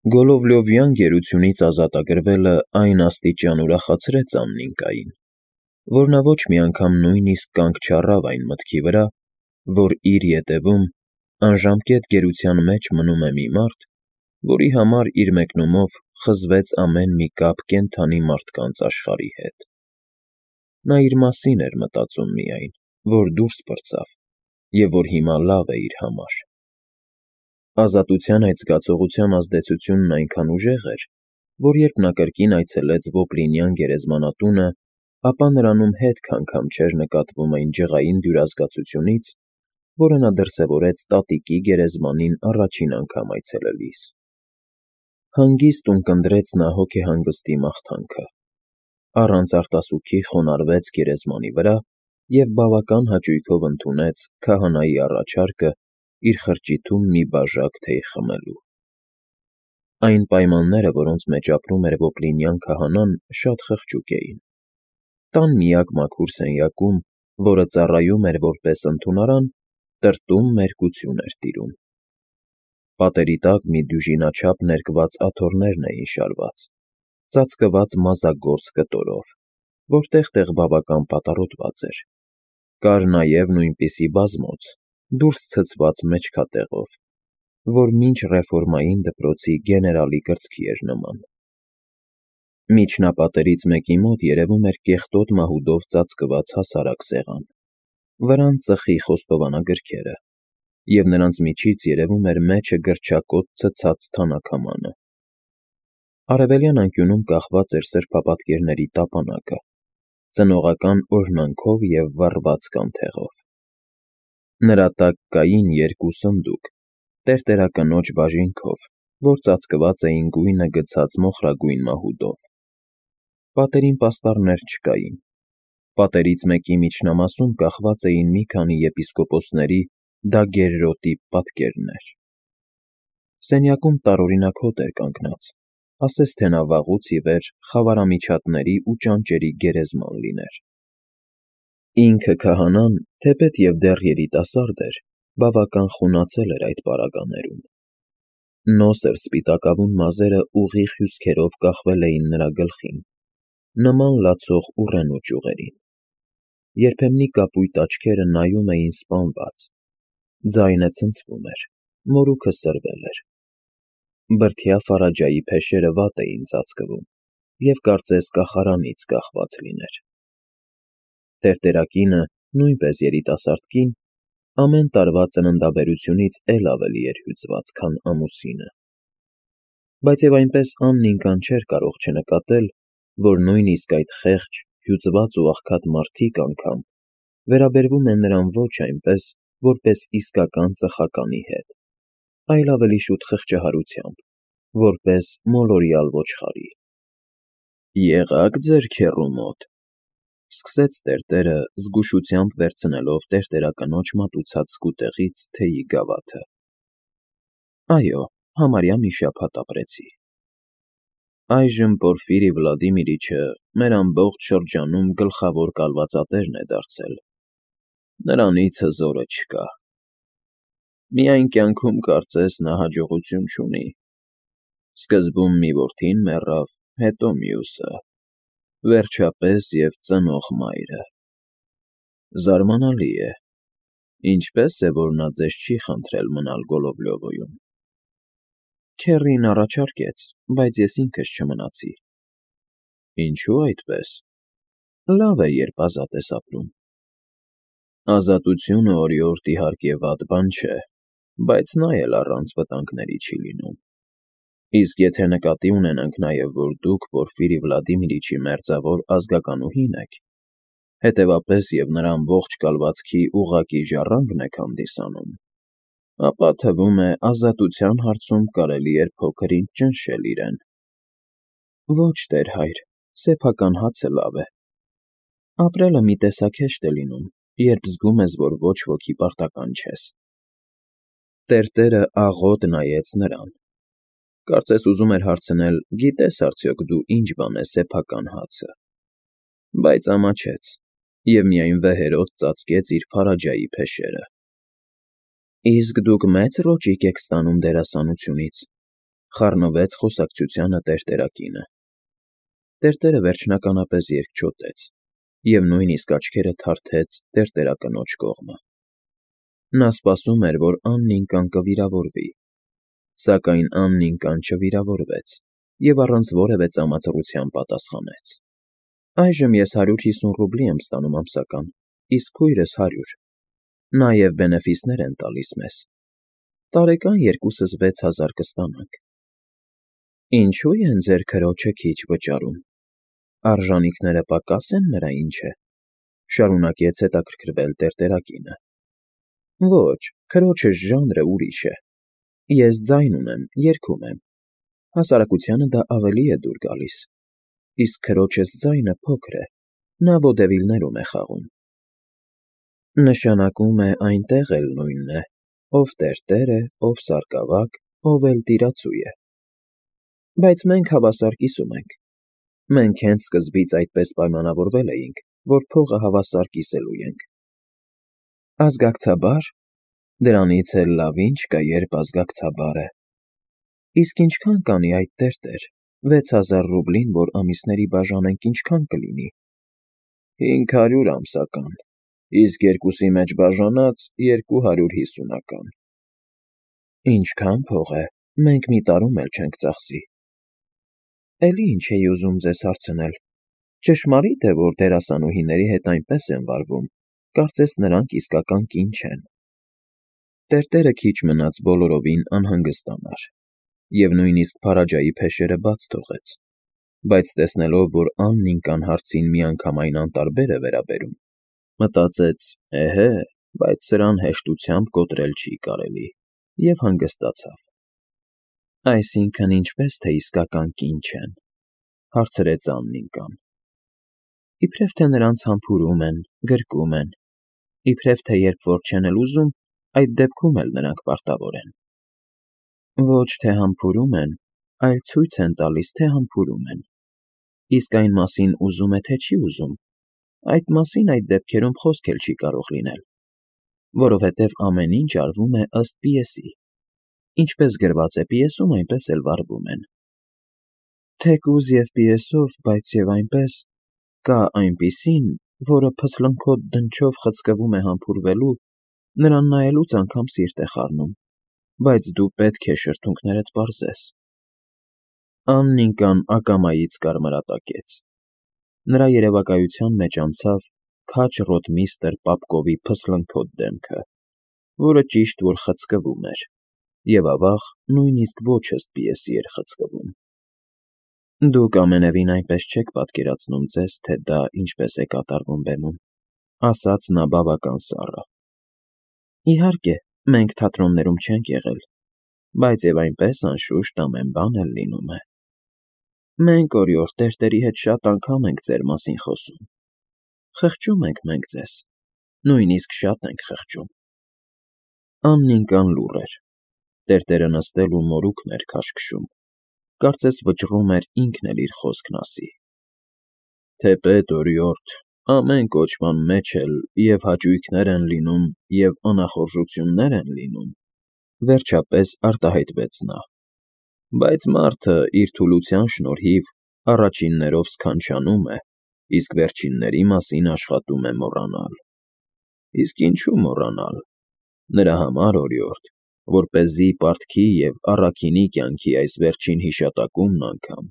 Գոլովլյովյան գերությունից ազատագրվելը այն աստիճան ուրախացրեց Աննիկային, որ նա ոչ մի անգամ նույնիսկ կանգ չառավ այն մտքի վրա, որ իր ետևում անժամկետ գերության մեջ մնում է մի մարդ, որի համար իր մեկնումով խզվեց ամեն մի կապ կենդանի մարդկանց աշխարհի հետ։ Նա իր մասին էր մտածում միայն, որ դուրս պրծավ և որ հիմա լավ է իր համար։ Ազատության այդ զգացողության ազդեցությունն այնքան ուժեղ էր, որ երբ նա կրկին այցելեց Ոպլինյան գերեզմանատունը, ապա նրանում հետք անգամ չէր նկատվում այն ջղային դյուրազգացությունից, որը նա դրսևորեց տատիկի գերեզմանին առաջին անգամ այցելելիս։ Հանգիստ ունկնդրեց նա հոգեհանգստի մաղթանքը, առանց արտասուքի խոնարհվեց գերեզմանի վրա և բավական հաճույքով ընդունեց քահանայի առաջարկը իր խրճիթում մի բաժակ թեյ խմելու։ Այն պայմանները, որոնց մեջ ապրում էր Ոպլինյան քահանան, շատ խղճուկ էին։ Տան միակ մաքուր սենյակում, որը ծառայում էր որպես ընդունարան, տրտում մերկություն էր տիրում։ Պատերի տակ մի դյուժինաչափ ներկված աթոռներն էին շարված, ծածկված մազագործ կտորով, որ տեղ֊տեղ բավական պատառոտված էր։ Կար նաև նույնպիսի բազմոց, դուրս ցցված մեջքատեղով, որ մինչ ռեֆորմային դպրոցի գեներալի կրծքի էր նման։ Միջնապատերից մեկի մոտ երևում էր կեղտոտ մահուդով ծածկված հասարակ սեղան, վրան ծխի խոստովանագրքերը, և նրանց միջից երևում էր մեջը գրչակոտ ցցած թանաքամանը։ Արևելյան անկյունում կախված էր սրբապատկերների տապանակը, ծնողական օրհնանքով և վառված կանթեղով։ Նրա տակ կային երկու սնդուկ, տերտերակնոջ բաժինքով, որ ծածկված էին գույնը գցած մոխրագույն մահուդով։ Պատերին պաստառներ չկային։ Պատերից մեկի միջնամասում կախված էին մի քանի եպիսկոպոսների դագերրոտի պատկերներ։ Սենյակում տարօրինակ հոտ էր կանգնած, ասես թե նա վաղուց ի վեր խավարամիջատների ու ճանճերի գերեզման լիներ։ Ինքը քահանան, թեպետ և դեռ երիտասարդ էր, բավական խունացել էր այդ պարագաներում։ Նոսր սպիտակավուն մազերը ուղիղ հյուսքերով կախվել էին նրա գլխին, նման լացող ուռենու ճյուղերին։ Երբեմնի կապույտ աչքերը նայում էին սպանված, ձայնը ցնցվում էր, մորուքը սրվել էր։ Բրդյա Ֆարաջայի փեշերը վատ էին ծածկվում և կարծես կախարանից կախված լիներ։ Տերտերակինը, նույնպես երիտասարդ կին, ամեն տարվա ծննդաբերությունից էլ ավելի էր հյուծված, քան ամուսինը։ Բայց և այնպես Աննիկան չէր կարող չնկատել, որ նույնիսկ այդ խեղճ, հյուծված ու աղքատ մարդիկ անգամ վերաբերվում են նրան ոչ այնպես, որպես իսկական ծխականի հետ, այլ ավելի շուտ խղճահարությամբ, որպես մոլորյալ ոչխարի։ «Եղա՞ք ձեր քեռու մոտ,֊ սկսեց տերտերը, զգուշությամբ վերցնելով տերտերակնոջ մատուցած սկուտեղից թեյի գավաթը։ Այո, համարյա մի շաբաթ ապրեցի։ Այժմ Պորֆիրի Վլադիմիրիչը մեր ամբողջ շրջանում գլխավոր կալվածատերն է դարձել։ Նրանից հզորը չկա։ Միայն կյանքում կարծես նա հաջողություն չունի։ Սկզբում մի որդին մեռավ, հետո մյուսը, վերջապես և ծնող մայրը։ Զարմանալի է, ինչպե՞ս է, որ նա ձեզ չի խնդրել մնալ Գոլովլյովոյում։ Քեռին առաջարկեց, բայց ես ինքս չմնացի։ Ինչո՞ւ այդպես։ Լավ է, երբ ազատ ես ապրում։ Ազատությունը օրիորդ իհարկե վատ բան չէ, բայց նա էլ առանց վտանգների չի լինում։ Իսկ եթե նկատի ունենանք նաև, որ դուք Պորֆիրի Վլադիմիրիչի մերձավոր ազգականուհին եք, հետևապես և նրա ամբողջ կալվածքի ուղղակի ժառանգն եք հանդիսանում, ապա թվում է ազատության հարցում կարելի էր փոքր-ինչ ճնշել իրեն։ Ոչ, տեր հայր, սեփական հացը լավ է։ Ապրելը մի տեսակ հեշտ է լինում, երբ զգում ես, որ ոչ ոքի պարտական չես։ Տերտերը աղոտ նայեց նրան։ Կարծես ուզում էր հարցնել. գիտե՞ս արդյոք դու ինչ բան է սեփական հացը։ Բայց ամաչեց և միայն վեհերոտ ծածկեց իր Ֆարաջայի փեշերը։ Իսկ դուք մե՞ծ ռոճիկ եք ստանում դերասանությունից։ խառնվեց խոսակցությանը տերտերակինը։ Տերտերը վերջնականապես երկչոտեց և նույնիսկ աչքերը թարթեց տերտերակնոջ կողմը։ Նա սպասում էր, որ Աննինկան կվիրավորվի, սակայն Աննինկան չվիրավորվեց և առանց որևէ ծամածռության պատասխանեց. «Այժմ ես 150 ռուբլի եմ ստանում ամսական, իսկ քույրս 100. նաև բենեֆիսներ են տալիս մեզ։ Տարեկան երկուսս 6000 կստանանք»։ «Ինչո՞ւ են ձեր քրոջը քիչ վճարում, արժանիքները պակաս են նրա, ինչ է,֊ շարունակեց հետաքրքրվել տերտերակինը։ «Ոչ, քրոջս ժանրը ուրիշ է. ես ձայն ունեմ, երգում եմ, հասարակությանը դա ավելի է դուր գալիս, իսկ քրոջս ձայնը փոքր է, նա վոդևիլներում է խաղում»։ «Նշանակում է այնտեղ էլ նույնն է, ով տերտեր է, ով սարկավակ, ով էլ տիրացու է։ Բայց մենք հավասար կիսում ենք։ Մենք հենց սկզբից այդպես պայմանավորվել էինք, որ փողը հավասար կիսելու ենք»։ «Ազգակցաբա՞ր, դրանից էլ լավ ինչ կա, երբ ազգակցաբար է։ Իսկ ինչքան կանի այդ տերտեր, 6000 ռուբլին, որ ամիսների բաժանենք, ինչքան կլինի»։ «500 ամսական, իսկ երկուսի մեջ բաժանած 250-ական»։ «Ինչքան փող է, մենք մի տարում էլ չենք ծախսի»։ «Էլի ինչ էի ուզում ձեզ հարցնել, ճշմարի՞տ է, որ դերասանուհիների հետ այնպես են վարվում, կարծես նրանք իսկական կին չեն»։ Տերտերը քիչ մնաց բոլորովին անհանգստանար և նույնիսկ Փարաջայի փեշերը բաց թողեց, բայց տեսնելով, որ Աննինկան հարցին միանգամայն անտարբեր է վերաբերում, մտածեց. «Էհե, բայց սրան հեշտությամբ կոտրել չի կարելի» և հանգստացավ։ «Այսինքն ինչպես թե իսկական կին չեն,֊ հարցրեց Աննինկան։ Իբրև թե նրանց համբուրում են, գրկում են, իբրև թե երբ որ չեն էլ ուզում, այդ դեպքում էլ նրանք պարտավոր են»։ «Ոչ թե համբուրում են, այլ ցույց են տալիս, թե համբուրում են, իսկ այն մասին ուզում է, թե չի ուզում, այդ մասին այդ դեպքերում խոսք էլ չի կարող լինել, որովհետև ամեն ինչ արվում է ըստ պիեսի, ինչպես գրված է պիեսում, այնպես էլ վարվում են։ Թեկուզ և պիեսով, բայց և այնպես, կա այնպիսին, որը փսլնքոտ դնչով խցկվում է համբուրվելու, նրան նայելուց անգամ սիրտ է խառնում, բայց դու պետք է շրթունքներդ պարզես»։ Աննինկան ակամայից կարմրատակեց։ Նրա երևակայության մեջ անցավ քաջ ռոտմիստրը Պապկովի փսլնքոտ դեմքը, որը ճիշտ որ խցկվում էր, և ավաղ նույնիսկ ոչ ըստ պիեսի էր խցկվում։ «Դուք ամենևին այնպես չեք պատկերացնում ձեզ, թե դա ինչպես է կատարվում բեմում,֊ ասաց նա բավական սառը։ Իհարկե, մենք թատրոններում չենք եղել, բայց և այնպես, անշուշտ, ամեն բան էլ լինում է։ Մենք օրիորդ տերտերի հետ շատ անգամ ենք ձեր մասին խոսում։ Խղճում ենք մենք ձեզ, նույնիսկ շատ ենք խղճում»։ Աննինկան լուռ էր։ Տերտերը նստել ու մորուքն էր քաշքշում, կարծես վճռում էր ինքն էլ իր խոսքն ասի։ «Թեպետ, օրիորդ, ամեն կոչման մեջ էլ և հաճույքներ են լինում, և անախորժություններ են լինում,֊ վերջապես արտահայտվեց նա։ Բայց մարդը իր թուլության շնորհիվ առաջիններով սքանչանում է, իսկ վերջինների մասին աշխատում է մոռանալ։ Իսկ ինչու մոռանալ։ Նրա համար, օրիորդ, որպեսզի պարտքի և առաքինի կյանքի այս վերջին հիշատակումն անգամ,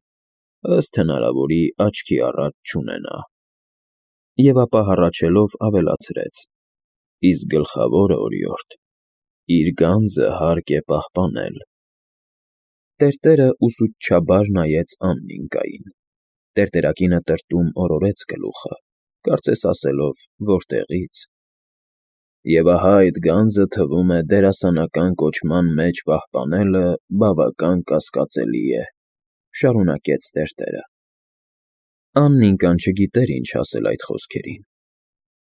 ըստ հնարավորի, աչքի առաջ չունենա։ Եվ ապա հառաչելով ավելացրեց. «Իսկ գլխավորը, օրիորդ, իր գանձը հարկ է պահպանել»։ Տերտերը ուսուցչաբար նայեց Աննինկային։ Տերտերակինը տրտում օրորեց գլուխը, կարծես ասելով. «Որտեղի՞ց»։ «Եվ ահա այդ գանձը, թվում է, դերասանական կոչման մեջ պահպանելը բավական կասկածելի է», շարունակեց տերտերը։ Աննինկան չգիտեր ինչ ասել այդ խոսքերին։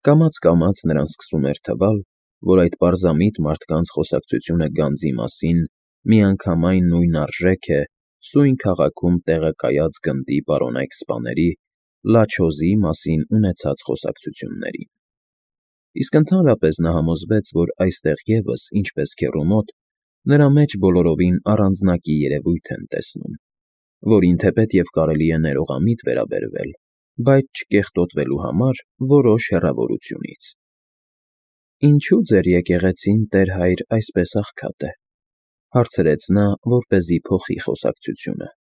Կամաց֊կամաց նրան սկսում էր թվալ, որ այդ պարզամիտ մարդկանց խոսակցությունը գանձի մասին միանգամայն նույն արժեք է սույն քաղաքում տեղակայած գնդի պարոնայք սպաների լաչոզի մասին ունեցած խոսակցություններին։ Իսկ ընդհանրապես նա համոզվեց, որ այստեղ ևս, ինչպես քեռու մոտ, Նրա մեջ բոլորովին առանձնակի երևույթ են տեսնում, որին թեպետ և կարելի է ներողամիտ վերաբերվել, բայց չկեղտոտվելու համար որոշ հեռավորությունից։ Ինչու ձեր եկեղեցին, Տեր հայր, այսպես աղքատ է, հարցրեց նա, որպեսզի փոխի խոսակցությունը։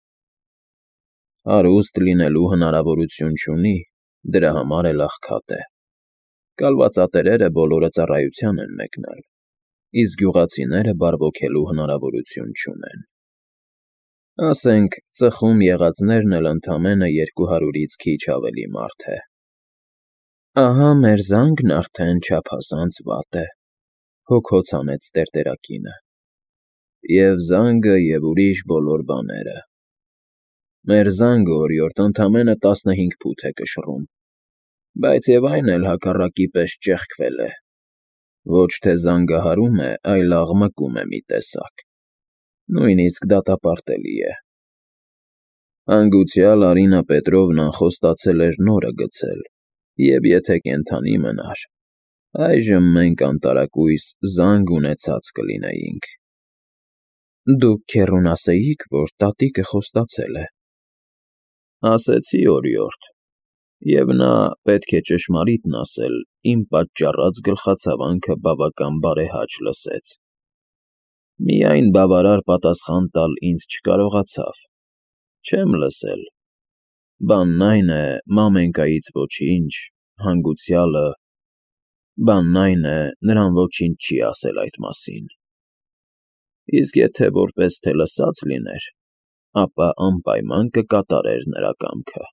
Հարուստ լինելու հնարավորություն չունի, դրա համար էլ աղքատ է։ Կալվածատերերը բոլորը ծառայության են մեկնել, իսկ գյուղացիները բարվոքելու հնարավորություն չունեն։ Ասենք, ծխում եղածներն էլ ընդամենը 200-ից քիչ ավելի մարդ է։ Ահա մեր զանգն արդեն չափազանց վատ է, հոգոց հանեց տերտերակինը։ Եվ զանգը, և ուրիշ բոլոր բաները։ Մեր զանգը օրիորդ ընդամենը 15 փութ է կշռում, բայց և այն էլ հակառակի պես ճեղքվել է։ Ոչ թե զանգահարում է, այլ աղմկում է մի տեսակ։ Նույնիսկ դատապարտելի է։ Հանգուցյալ Արինա Պետրովնան խոստացել էր նորը գցել, և եթե կենդանի մնար, այժմ մենք անտարակույս զանգ ունեցած կլինեինք։ Դուք քեռուն ասեիք, որ տատիկը խոստացել է։ Ասեցի, օրիորդ, և նա, պետք է ճշմարիտն ասել, իմ պատճառած գլխացավանքը բավական բարեհաճ լսեց։ Միայն բավարար պատասխան տալ ինձ չկարողացավ։ Չեմ լսել։ Բանն այն է, մամենկայից ոչինչ, հանգուցյալը… Բանն այն է, նրան ոչինչ չի ասել այդ մասին։ Իսկ եթե որպես թե լսած լիներ, ապա անպայման կկատարեր նրա կամքը։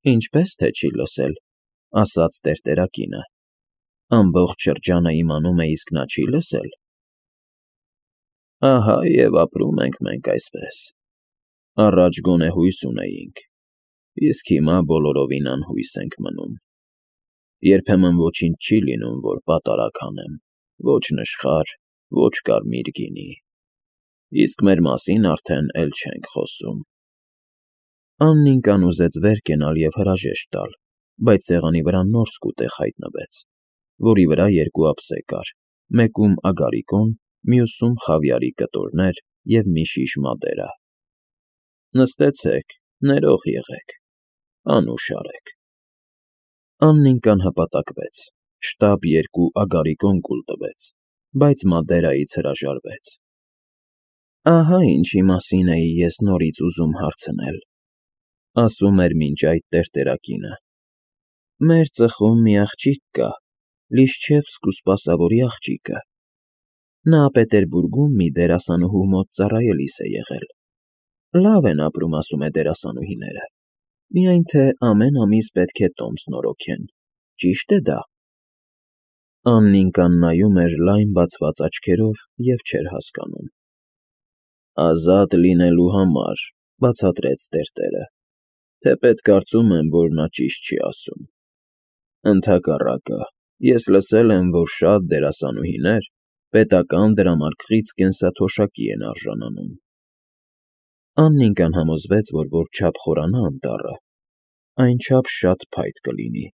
Ինչպես թե չի լսել, ասաց տերտերակինը։ Ամբողջ շրջանը իմանում է, իսկ նա չի լսել։ Ահա և ապրում ենք մենք այսպես։ Առաջ գոնե հույս ունեինք, իսկ հիմա բոլորովին անհույս ենք մնում։ Երբեմն ոչինչ չի լինում, որ պատարագ անեմ, ոչ նշխար, ոչ կարմիր գինի։ Իսկ մեր մասին արդեն էլ չենք խոսում։ Աննիկան ուզեց վեր կենալ և հրաժեշտ տալ, բայց սեղանի վրա նոր սկուտեղ հայտնվեց, որի վրա 2 ափսե կար, մեկում ագարիկոն, մյուսում խավիարի կտորներ և մի շիշ մադերա։ Նստեցեք, ներող եղեք, անուշ արեք։ Աննիկան հպատակվեց, շտապ 2 ագարիկոն կուլ տվեց, բայց մադերայից հրաժարվեց։ Ահա ինչի մասին էի ես նորից ուզում հարցնել, ասում էր մինչ այդ տերտերակինը։ Մեր ծխում մի աղջիկ կա, Լիշչևսկ ու Սպասավորի աղջիկը։ Նա Պետերբուրգում մի դերասանուհու մոտ ծառայելիս է եղել։ Լավ են ապրում, ասում է դերասանուհիները, միայն թե ամեն ամիս պետք է տոմս նորոգեն, ճի՞շտ է դա։ Աննիկան նայում էր լայն բացված աչքերով և չէր հասկանում։ Ազատ լինելու համար, բացատրեց տերտերը, թեպետ կարծում եմ, որ նա ճիշտ չի ասում։ Ընդհակառակը, ես լսել եմ, որ շատ դերասանուհիներ պետական դրամարկղից կենսաթոշակի են արժանանում։ Աննիկան համոզվեց, որ որչափ խորանա անտառը, այնչափ շատ փայտ կլինի,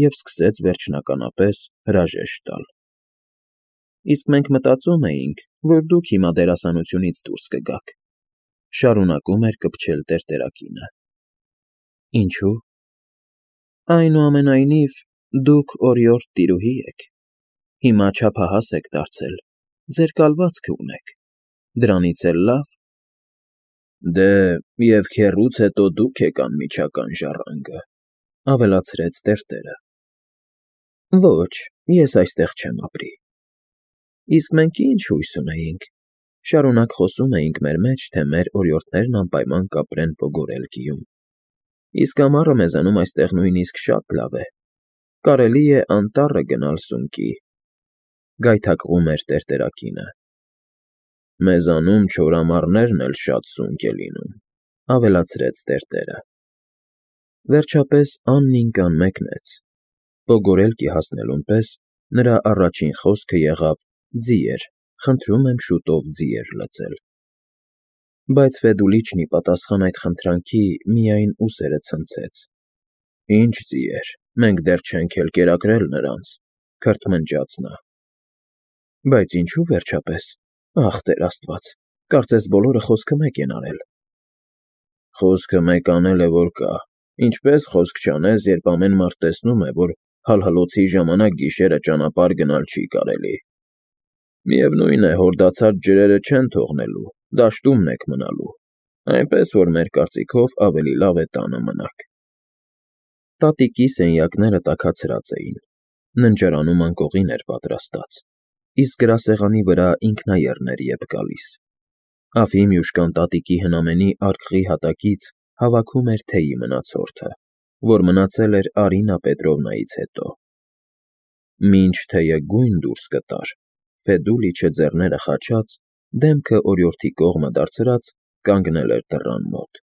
և սկսեց վերջնականապես հրաժեշտ տալ։ Իսկ մենք մտածում էինք, որ դուք հիմա դերասանությունից դուրս կգաք, շարունակում էր կպչել տերտերակինը։ Ինչու՞։ Այնուամենայնիվ, դուք օրիորդ տիրուհի եք, հիմա չափահաս եք դարձել, ձեր կալվածքը ունեք, դրանից էլ լավ։ Դե, և քեռուց հետո դուք եք անմիջական ժառանգը, ավելացրեց տերտերը։ Ոչ, ես այստեղ չեմ ապրի։ Իսկ մենք ինչ հույս ունեինք, շարունակ խոսում էինք մեր մեջ, թե մեր օրիորդներն անպայման կապրեն Պոգորելկիում։ Իսկ ամառը մեզանում այստեղ նույնիսկ շատ լավ է, կարելի է անտառը գնալ սունկի, գայթակղում էր տերտերակինը։ Մեզանում չոր ամառներն էլ շատ սունկ է լինում, ավելացրեց տերտերը։ Վերջապես Աննիկան մեկնեց։ Պոգորելկի հասնելուն պես նրա առաջին խոսքը եղավ. «Ձիեր, խնդրում եմ շուտով ձիեր լծել»։ Բայց Ֆեդուլիչնի պատասխան այդ խնդրանքի միայն ուսերը ցնցեց։ Ինչ ձիեր, մենք դեռ չենք էլ կերակրել նրանց, քրթմնջաց նա։ Բայց ինչու՞ վերջապես։ Ախ, Տեր Աստված, կարծես բոլորը խոսքը մեկ են արել։ Խոսքը մեկ անել է, որ կա։ Ինչպես խոսք չանես, երբ ամեն մարդ տեսնում է, որ հալհլոցի ժամանակ գիշերը ճանապարհ գնալ չի կարելի։ Միևնույն է, հորդացած ջրերը չեն թողնելու, դաշտումն եք մնալու, այնպես որ մեր կարծիքով ավելի լավ է տանը մնաք։ Տատիկի սենյակները տաքացրած էին, ննջարանում անկողին էր պատրաստած, իսկ գրասեղանի վրա ինքնաեռներ ետ գալիս։ Ափի մյուշկան տատիկի հնամենի արկղի հատակից հավաքում էր թեյի մնացորդը, որ մնացել էր Արինա Պետրովնայից հետո։ Մինչ թեյը գույն դուրս կտար, Ֆեդուլիչը ձեռները խաչած, դեմքը օրիորդի կողմը դարձրած, կանգնել էր դռան մոտ,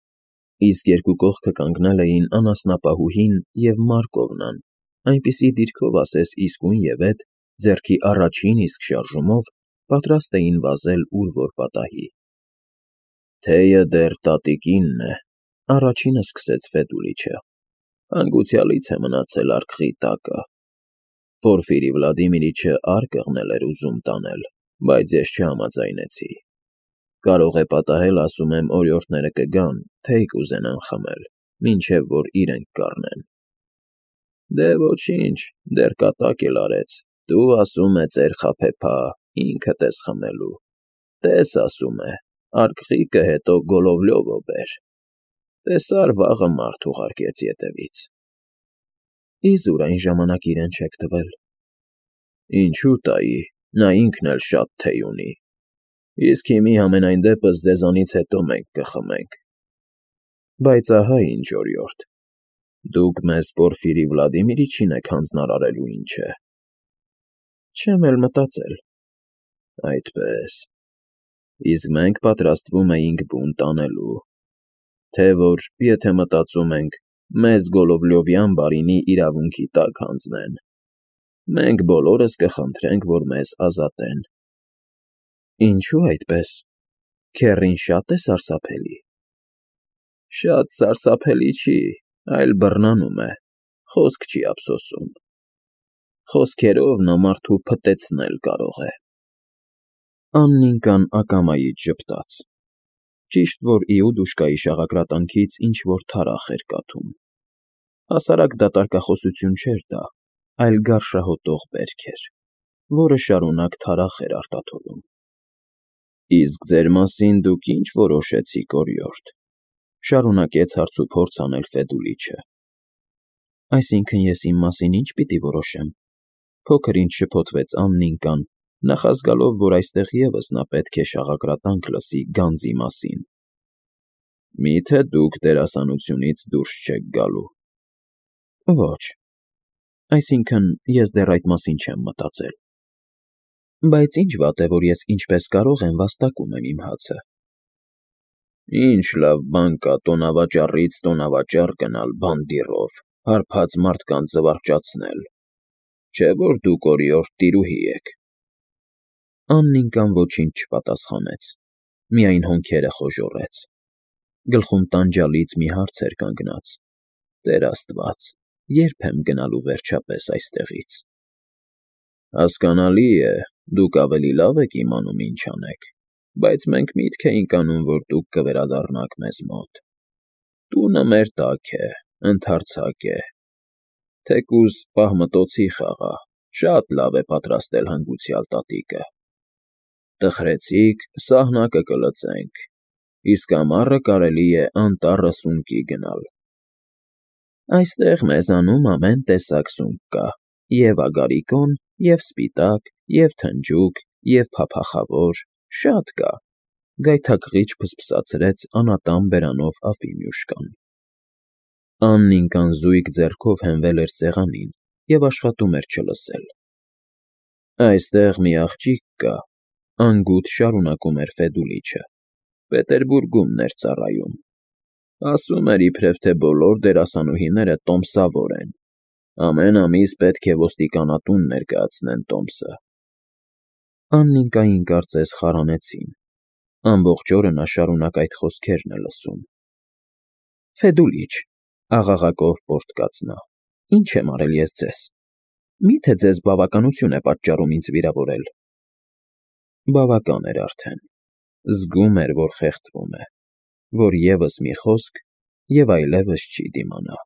իսկ երկու կողքը կանգնել էին անասնապահուհին և Մարկովնան, այնպիսի դիրքով ասես իսկույն և էդ, ձեռքի առաջին իսկ շարժումով պատրաստ էին վազել ուր որ պատահի։ Թեյը դեռ տատիկինն է, առաջինը սկսեց Ֆեդուլիչը, հանգուցյալից է մնացել արկղի տակը։ Պորֆիրի Վլադիմիրիչը արկղն էր ուզում տանել, բայց ես չհամաձայնեցի։ Կարող է պատահել, ասում եմ, օրիորդները կգան, թեյ կուզենան խմել, մինչև որ իրենք կառնեն։ Դե ոչինչ, դեռ կատակ էլ արեց, դու, ասում է, ծեր խաբեբա, ինքդ ես խմելու։ Տես, ասում է, արկղիկը հետո Գոլովլյովը բեր։ Տեսար, վաղը մարդ ուղարկեց ետևից։ Իզուր այն ժամանակ իրեն չեք տվել։ Ինչու տայի, նա ինքն էլ շատ թեյ ունի։ Իսկ հիմի համենայն դեպս ձեզանից հետո մենք կխմենք։ Բայց ահա ինչ, օրիորդ, դուք մեզ Պորֆիրի Վլադիմիրիչին եք հանձնարարելու, ինչ է։ Չեմ էլ մտածել։ Այդպես։ Իսկ մենք պատրաստվում էինք բուն տանելու, թե որ, եթե մտածում ենք, մեզ Գոլովլյովյան բարինի իրավունքի տակ հանձնեն, մենք բոլորս կխնդրենք, որ մեզ ազատեն։ Ինչու այդպես։ Քեռին շատ է սարսափելի։ Շատ սարսափելի չի, այլ բռնանում է, խոսք չի ափսոսում։ Խոսքերով նա մարդու փտեցնել կարող է։ Աննիկան ակամայից ժպտաց։ Ճիշտ որ Իուդուշկայի շաղակրատանքից ինչ-որ թարախ էր կաթում։ Հասարակ դատարկախոսություն չէր դա, այլ գարշահոտող վերք էր, որը շարունակ թարախ էր արտաթորում։ Իսկ ձեր մասին դուք ինչ որոշեցիք, օրիորդ, շարունակեց հարցուփորձ անել Ֆեդուլիչը։ Այսինքն ես իմ մասին ինչ պիտի որոշեմ։ Փոքր ինչ շփոթվեց Աննիկան, նախազգալով, որ այստեղ ևս նա պետք է շաղակրատանք լսի գանձի մասին։ Մի՞թե դուք դերասանությունից դուրս չեք գալու։ Ոչ։ Այսինքն ես դեռ այդ մասին չեմ մտածել։ Բայց ինչ վատ է, որ ես ինչպես կարող եմ վաստակում եմ իմ հացը։ Ինչ լավ բան կա տոնավաճառից տոնավաճառ գնալ բանդիռով, հարբած մարդկանց զվարճացնել։ Չէ՞ որ դուք օրիորդ տիրուհի եք։ Աննիկան ոչինչ չպատասխանեց, միայն հոնքերը խոժոռեց։ Գլխում տանջալից մի հարց էր կանգնած. Տեր Աստված, երբ եմ գնալու վերջապես այստեղից։ Հասկանալի է, դուք ավելի լավ եք իմանում ինչ անեք, բայց մենք միտք էինք անում, որ դուք կվերադառնաք մեզ մոտ։ Տունը մեր տակ է, ընդարձակ է։ Թեկուզ պահմտոցի խաղա, շատ լավ է պատրաստել հանգուցյալ տատիկը։ Տխրեցիք, սահնակը կլծենք, իսկ ամառը կարելի է անտառը սունկի գնալ։ Այստեղ մեզանում ամեն տեսակ սունկ կա, և ագարիկոն, և սպիտակ, և թնջուկ, և փափախավոր, շատ կա, գայթակղիչ փսփսացրեց անատամ բերանով ափի մյուշկան։ Աննիկան զույգ ձեռքով հենվել էր սեղանին և աշխատում էր չլսել։ Այստեղ մի աղջիկ կա, անգութ շարունակում էր Ֆեդուլիչը, Պետերբուրգումն էր ծառայում։ Ասում էր, իբրև թե բոլոր դերասանուհիները տոմսավոր են, ամեն ամիս պետք է ոստիկանատուն ներկայացնեն տոմսը։ Աննիկային կարծես խարանեցին։ Ամբողջ օրը նա շարունակ այդ խոսքերն է լսում։ Ֆեդուլիչ, աղաղակով պոռթկաց նա, ինչ եմ արել ես ձեզ։ Մի՞թե ձեզ բավականություն է պատճառում ինձ վիրավորել։ Բավական էր արդեն։ Զգում էր, որ խեղդվում է, որ ևս մի խոսք, և այլևս չի դիմանա։